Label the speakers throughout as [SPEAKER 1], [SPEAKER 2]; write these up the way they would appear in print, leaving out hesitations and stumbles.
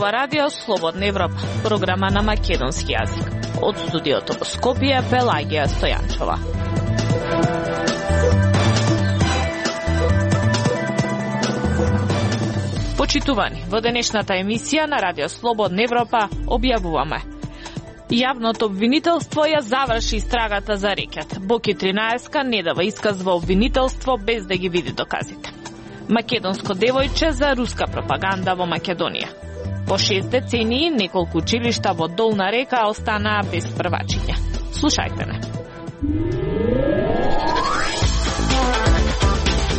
[SPEAKER 1] ова радио Слободна Европа, програма на македонски јазик. Од студиото во Скопје, Пелагија Стојанчова. Почитувани, во денешната емисија на радио Слободна Европа објавуваме: јавното обвинителство ја заврши истрагата за рекет. Боки 13 не дава исказ во обвинителство без да ги види доказите. Македонско девојче за руска пропаганда во Македонија. По 6 децении неколку училишта во Долна Река останаа без првачиња. Слушајте не.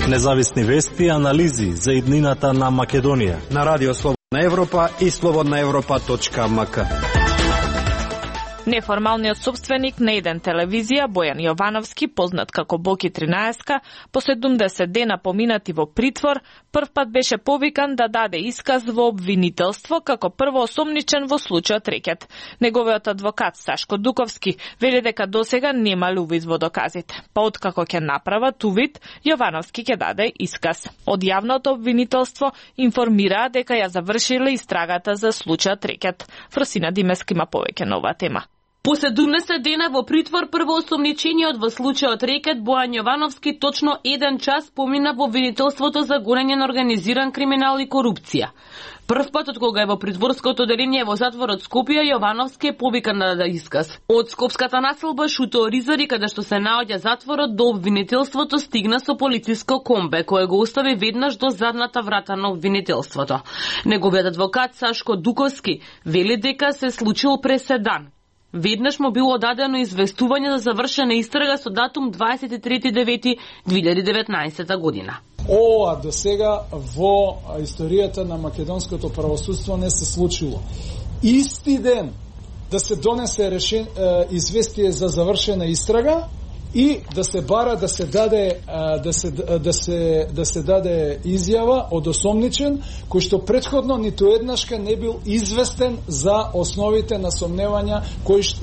[SPEAKER 2] Независни вести и анализи за иднината на Македонија
[SPEAKER 3] на радио Слободна Европа и slobodnaevropa.mk.
[SPEAKER 1] Неформалниот собственик на еден телевизија, Бојан Јовановски, познат како Боки 13, по 70 дена поминати во притвор, прв пат беше повикан да даде исказ во обвинителство како првоосомничен во случајот рекет. Неговиот адвокат Сашко Дуковски вели дека досега немал увид во доказите. Па откако ќе направат увид, Јовановски ќе даде исказ. Од јавното обвинителство информираа дека ја завршиле истрагата за случајот рекет. Фросина Димески има повеќе на оваа тема.
[SPEAKER 4] По 70 дена во притвор првоосомничениот во случајот рекет Бојан Јовановски точно 1 час помина во обвинителството за гонење на организиран криминал и корупција. Прв пат од кога е во притворското оделение во затворот Скопје, Јовановски е повикан да даде исказ. Од скопската населба Шуто Оризари, каде што се наоѓа затворот, до обвинителството стигна со полициско комбе, кое го остави веднаш до задната врата на обвинителството. Неговиот адвокат Сашко Дуковски вели дека се случил преседан. Веднаш му било дадено известување за завршена истрага со датум 23.9.2019 година.
[SPEAKER 5] Ова до сега во историјата на македонското правосудство не се случило. Исти ден да се донесе известие за завршена истрага и да се бара да се даде изјава од осомничен кој што претходно ниту еднашка не бил известен за основите на сомневања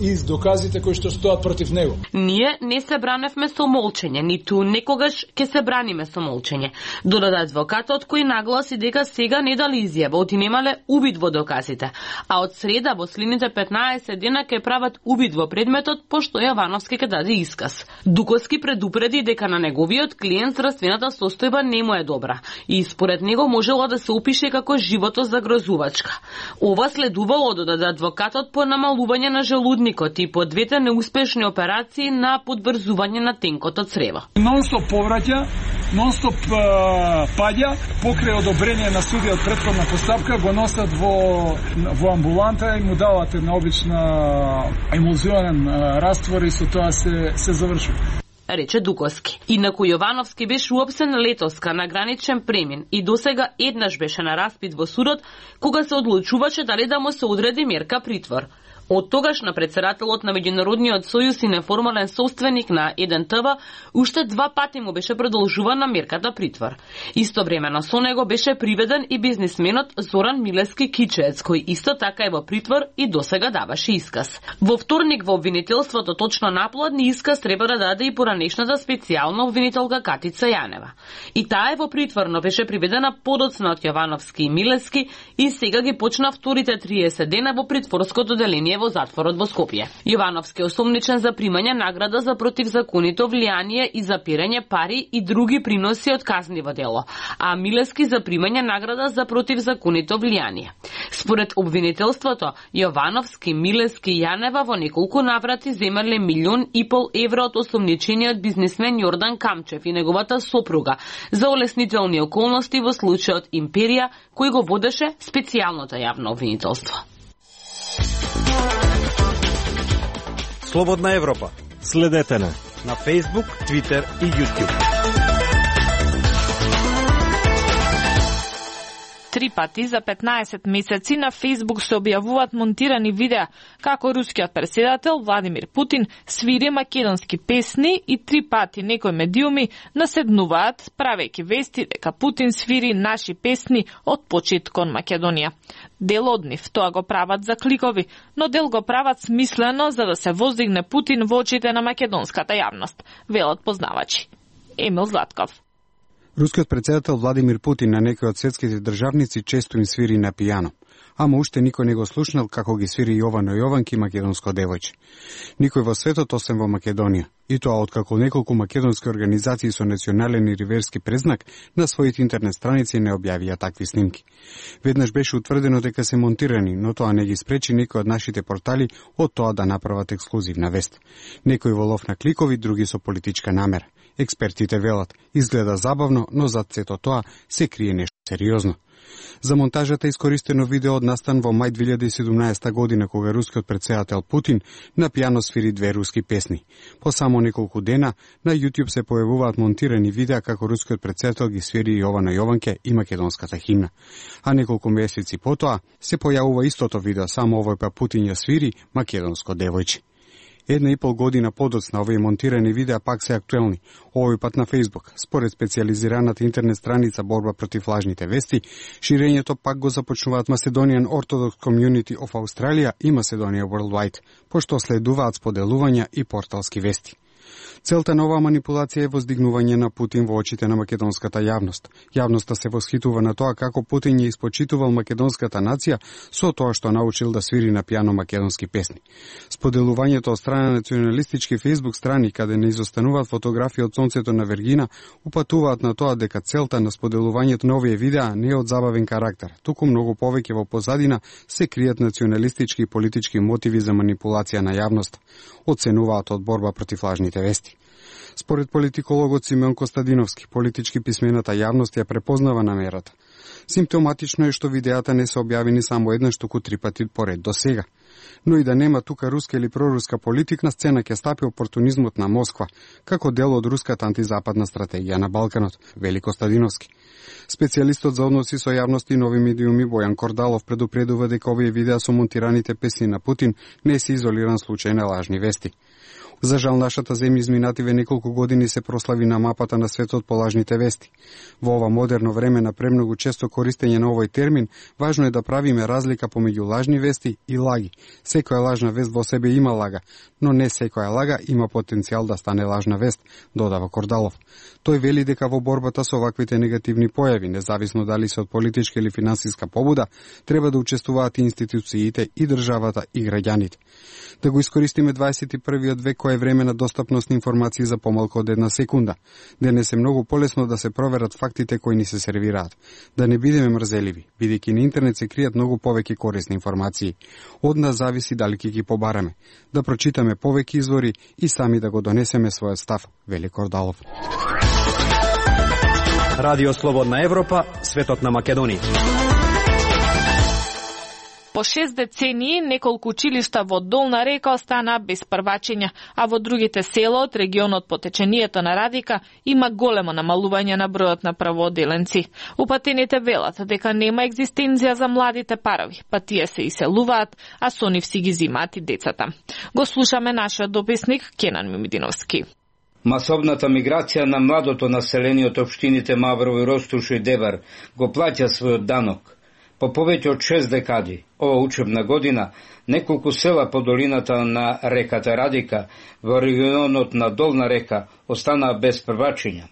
[SPEAKER 5] и доказите кои што стоат против него.
[SPEAKER 4] Ние не се браневме со молчење, ниту некогаш ќе се браниме со молчење. Додаде адвокатот кој нагласи дека сега не дали изјава, оти немале увид во доказите, а од среда во следните 15 дена ќе прават увид во предметот, пошто Јовановски ќе даде исказ. Дуковски предупреди дека на неговиот клиент здравствената состојба не му е добра и според него можело да се опише како животозагрозувачка. Ова следувало, додаде адвокатот, по намалување на желудникот и по двете неуспешни операции на подврзување на тенкото црево.
[SPEAKER 5] Нонстоп повраќа, нонстоп паѓа, покрај одобрение на судиот претходна постапка, го носат во амбуланта и му дават една обична емулзионен раствор и со тоа се завршува,
[SPEAKER 4] рече Дуковски. Инаку Јовановски беше уопсен летоска на граничен премин и досега еднаш беше на распит во судот кога се одлучуваше дали да му се одреди мерка притвор. Од тогаш на претседателот на Меѓународниот сојуз и неформален собственик на еден ТВ уште 2 пати му беше продолжувана мерката притвор. Истовремено со него беше приведен и бизнисменот Зоран Милески Кичеец, кој исто така е во притвор и досега даваше исказ. Во вторник во обвинителството точно наполудне исказ треба да даде и поранешната специјална обвинителка Катица Јанева. И таа е во притвор, но беше приведена подоцна од Јовановски и Милески и сега ги почна вторите 30 дена во притворското оделение во затворот во Скопје. Јовановски е осомничен за примање награда за противзаконито влијание и за пирање пари и други приноси од казниво дело, а Милески за примање награда за противзаконито влијание. Според обвинителството, Јовановски, Милески и Јанева во неколку наврати земале 1,5 милион евро од осомничениот бизнисмен Јордан Камчев и неговата сопруга за олеснителни околности во случајот Империја, кој го водеше специјалното јавно обвинителство.
[SPEAKER 3] Слободна Европа.
[SPEAKER 2] Следете на
[SPEAKER 3] Facebook, Twitter и YouTube.
[SPEAKER 1] 3 пати за 15 месеци на Facebook се објавуваат монтирани видеа како рускиот председател Владимир Путин свири македонски песни и 3 пати некои медиуми наседнуваат правејќи вести дека Путин свири наши песни од почит кон Македонија. Дел од нив тоа го прават за кликови, но дел го прават смислено за да се воздигне Путин во очите на македонската јавност, велат познавачи. Емил Златков.
[SPEAKER 6] Рускиот председател Владимир Путин на некои од светските државници често им свири на пијано.
[SPEAKER 3] ама уште никој не го слушнал како ги свири Јовано Јованки македонско девојче. Никој во светот освен во Македонија. И тоа откако неколку македонски организации со национален и риверски презнак на своите интернет страници не објавија такви снимки. Веднаш беше утврдено дека се монтирани, но тоа не ги спречи некој од нашите портали од тоа да направат ексклузивна вест. Некои во лов на кликови, други со политичка намера. Експертите велат, изгледа забавно, но зад сето тоа се крие нешто сериозно. За монтажата искористено видео од настан во мај 2017 година, кога рускиот претседател Путин на пијано свири 2 руски песни. По само неколку дена на YouTube се појавуваат монтирани видеа како рускиот претседател ги свири Јовано Јованке и македонската химна. А неколку месеци потоа се појавува истото видео, само овој па Путин ја свири македонско девојче. 1,5 година подоцна овие монтирани видеа пак се актуелни, овој пат на Facebook. Според специјализираната интернет страница Борба против лажните вести, ширењето пак го започнуваат Macedonian Orthodox Community of Australia и Macedonia Worldwide, пошто следуваат споделувања и порталски вести. Целта на оваа манипулација е воздигнување на Путин во очите на македонската јавност. Јавноста се восхитува на тоа како Путин ја испочитувал македонската нација со тоа што научил да свири на пијано македонски песни. Споделувањето од страна на националистички Facebook страни, каде не изостануваат фотографии од сонцето на Вергина, упатуваат на тоа дека целта на споделувањето на овие видеа не е од забавен карактер, туку многу повеќе во позадина се кријат националистички и политички мотиви за манипулација на јавност, оценуваат од Борба против лажните вести. Според политикологот Симеон Костадиновски, политички писмената јавност ја препознава намерата. Симптоматично е што видеата не се објавени само еднаш, туку 3 пати поред до сега. Но и да нема тука руска или проруска политика, на сцена ќе стапи опортунизмот на Москва, како дел од руската антизападна стратегија на Балканот, вели Костадиновски. Специјалистот за односи со јавност и нови медиуми Бојан Кордалов предупредува дека овие видеа со монтираните песни на Путин не се изолиран случај на лажни вести. За жал, нашата земја изминативе неколку години се прослави на мапата на светот по лажните вести. Во ова модерно време на премногу често користење на овој термин, важно е да правиме разлика помеѓу лажни вести и лаги. Секоја лажна вест во себе има лага, но не секоја лага има потенцијал да стане лажна вест, додава Кордалов. Тој вели дека во борбата со оваквите негативни појави, независно дали се од политичка или финансиска побуда, треба да учествуваат и институциите, и државата, и граѓаните. Да го искористиме 21. век кој е време на достапност на информации за помалку од 1 секунда. Денес е многу полесно да се проверат фактите кои ни се сервираат. Да не бидеме мрзеливи, бидејќи на интернет се кријат многу повеќе корисни информации. Од нас зависи дали ќе ги побараме. Да прочитаме повеќе извори и сами да го донесеме својот став, вели Кордалов. Радио Слободна Европа, светот на Македонија.
[SPEAKER 1] По 6 децении неколку училишта во Долна река останаа без првачења, а во другите села од регионот по течението на Радика има големо намалување на бројот на правооделенци. Упатените велат дека нема екзистенција за младите парови, па тие се иселуваат, а со нив си ги зимаат и децата. Го слушаме нашиот дописник Кенан Мимидиновски.
[SPEAKER 6] Масовната миграција на младото население од општините Маврово, Ростуш и Дебар го плаќа својот данок. По повеќе од 6 декади, ова учебна година, неколку села по долината на реката Радика во регионот на Долна река останаа без првачења.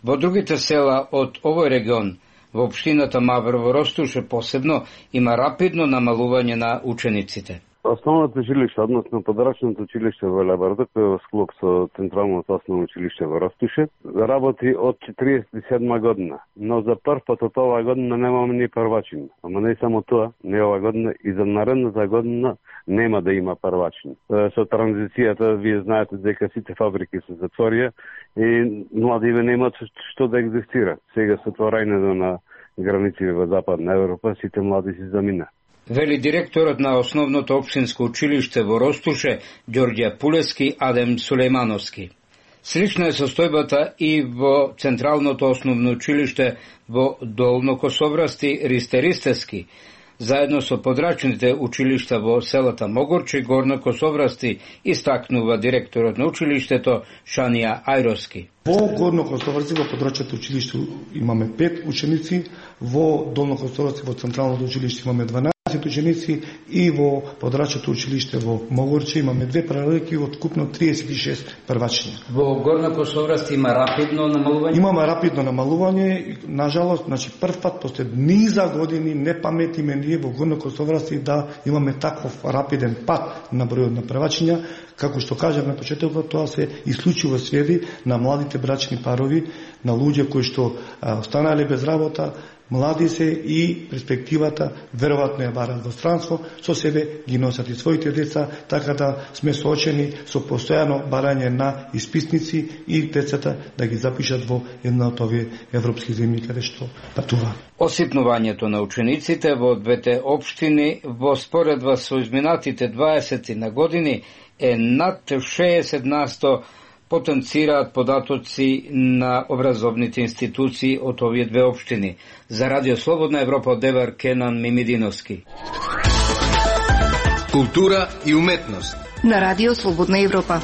[SPEAKER 6] Во другите села од овој регион, во општината Маврово, Ростуш посебно, има рапидно намалување на учениците.
[SPEAKER 7] Основното училиште, односно подрачното училиште во Лебарда, кој е во склоп со Централното основно училиште во Ростуше, работи од 47 година. Но за прв пат од оваа година немаме ни првачен. Ама не само тоа, не оваа година, и за наредната година нема да има првачен. Со транзицијата, вие знаете дека сите фабрики се затворија и младиве немаат што да екзистира. Сега со отворањето на граници во Западна Европа, сите млади се замина.
[SPEAKER 6] Вели директорот на основното општинско училиште во Ростуше, Ѓорѓе Пулески Адем Сулејмановски. Слична е состојбата и во Централното основно училиште во Долнокосоврасти Ристеристески, заедно со подрачните училишта во селата Могорче и Горно Косоврасти, истакнува директорот на училиштето Шанија Ајроски.
[SPEAKER 8] Во Горно Косоврасти во подрачното училиште имаме 5 ученици, во Долно Косоврасти во Централното училиште имаме 12, ученици и во подрачното училиште во Могорче имаме 2 паралелки од купно 36 првачиња.
[SPEAKER 6] Во Горна Косовраст има рапидно намалување?
[SPEAKER 8] Имаме рапидно намалување, нажалост, значи прв пат после низа години не паметиме ние во Горна Косовраст да имаме таков рапиден пат на бројот на првачиња, како што кажав на почетокот, тоа се исклучиво сведи на младите брачни парови, на луѓе кои што останале без работа, млади се и перспективата веројатно ја барат во странство, со себе ги носат и своите деца, така да сме соочени со постојано барање на исписници и децата да ги запишат во една од овие европски земји каде што патуваат.
[SPEAKER 6] Осипнувањето на учениците во двете општини во споредба со изминатите 20 на години е над 60% потенцираат податоци на образовните институции од овие две општини. За Радио Слободна Европа од Девар, Кенан Мимидиновски.
[SPEAKER 9] Култура и уметност
[SPEAKER 10] на Радио Слободна Европа.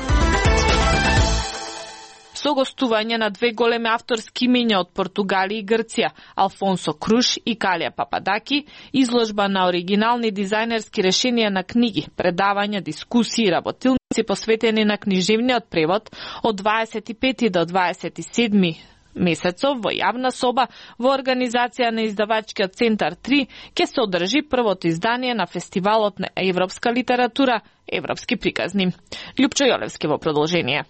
[SPEAKER 1] Со гостување на две големи авторски имиња од Португалија и Грција, Алфонсо Круш и Калија Пападаки, изложба на оригинални дизајнерски решенија на книги, предавања, дискусии и работилници посветени на книжевниот превод од 25 до 27 месецов во јавна соба во организација на издавачкиот центар 3 ќе се одржи првото издание на фестивалот на европска литература Европски приказни. Љупчо Јолевски во продолжение.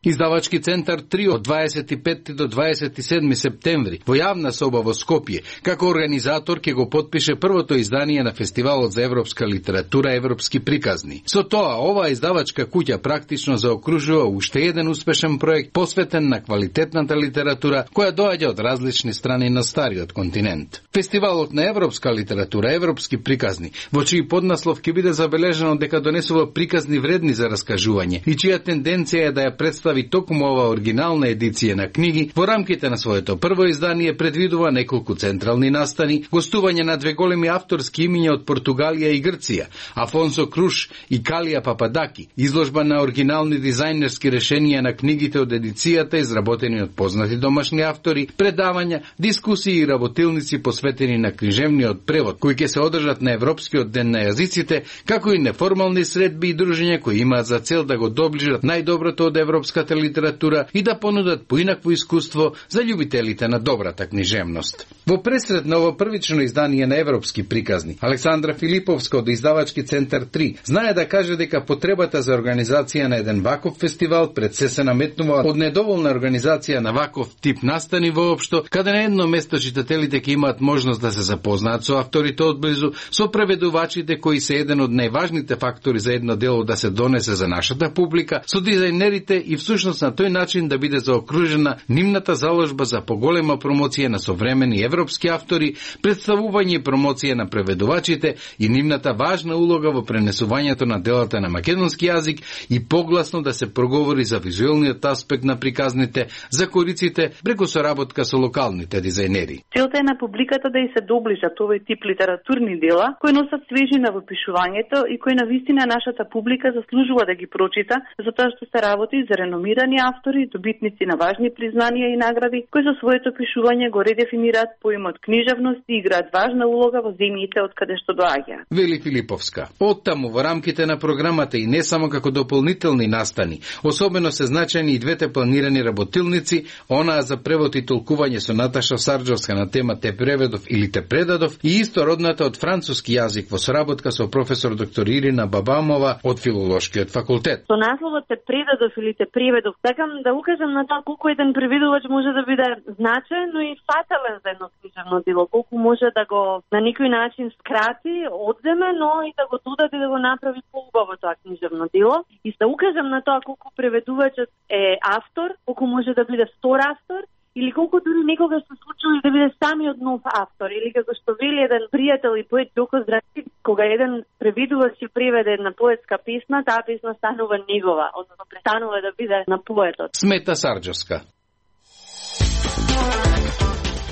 [SPEAKER 9] Издавачки центар 3 од 25 до 27 септември во јавна соба во Скопје, како организатор ќе го потпише првото издание на фестивалот за европска литература Европски приказни. Со тоа, оваа издавачка куќа практично заокружува уште еден успешен проект посветен на квалитетната литература која доаѓа од различни страни на стариот континент. Фестивалот на европска литература Европски приказни, во чиј поднаслов ќе биде забележано дека донесува приказни вредни за раскажување и чија тенденција е да ја представи токму ова оригинална едиција на книги, во рамките на своето прво издание предвидува неколку централни настани, гостување на две големи авторски имиња од Португалија и Грција, Алфонсо Круш и Калија Пападаки, изложба на оригинални дизајнерски решенија на книгите од едицијата изработени од познати домашни автори, предавања, дискусии и работилници посветени на книжевниот превод, кои ќе се одржат на Европскиот ден на јазиците, како и неформални средби и дружења кои имаат за цел да го доближат најдоброто од европската литература и да понудат поинакво искуство за љубителите на добрата книжевност. Во пресред на ово првично издание на Европски приказни, Александра Филиповска од издавачки центар 3 знае да каже дека потребата за организација на еден ваков фестивал пред се наметнува од недоволна организација на ваков тип настани воопшто, каде на едно место читателите ќе имаат можност да се запознаат со авторите одблизу, со преведувачите кои се еден од најважните фактори за едно дело да се донесе за нашата публика, со дизајнерите и всушност на тој начин да биде заокружена нивната заложба за поголема промоција на современи европски автори, представување и промоција на преведувачите и нивната важна улога во пренесувањето на делата на македонски јазик и погласно да се проговори за визуелниот аспект на приказните, за кориците преку соработка со локалните дизајнери.
[SPEAKER 11] Целта е на публиката да и се доближат овој тип литературни дела кои носат свежина во пишувањето и кои навистина нашата публика заслужува да ги прочита, затоа што се работи за реномирани автори, добитници на важни признанија и награди, кои со своето пишување го редефинираат поимот книжевност и играат важна улога во земјите од каде што доаѓаат.
[SPEAKER 9] Вели Филиповска. Оттаму во рамките на програмата и не само како дополнителни настани, особено се значајни и двете планирани работилници, онаа за превод и толкување со Наташа Сарджовска на тема Те преведов или Те предадов и истородната од француски јазик во соработка со професор доктор Ирина Бабамова од Филолошкиот факултет.
[SPEAKER 11] Со насловот Те предадов или Те преведов, сакам да укажам на тоа колку еден преведувач може да биде значаен, но и фатален за едно книжевно дело, колку може да го на некој начин скрати, одземе, но и да го додаде да го направи поубаво тоа книжевно дело. И да укажам на тоа колку преведувачот е автор, колку може да биде втор автор, или колку дури некогаш се случува да биде самиот нов автор, или како што вели еден пријател и поет Ѓоко Здравчев, кога еден преведувач ќе преведе една поетска песна, таа песна станува негова, односно престанува да биде на поетот.
[SPEAKER 9] Смета Сарджовска.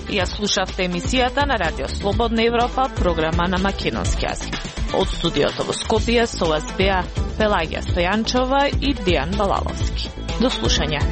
[SPEAKER 1] Ја слушавте емисијата на Радио Слободна Европа, програма на македонски јазик. Од студиото во Скопје со вас беа Пелагија Стојанчова и Дејан Балаловски. До слушање.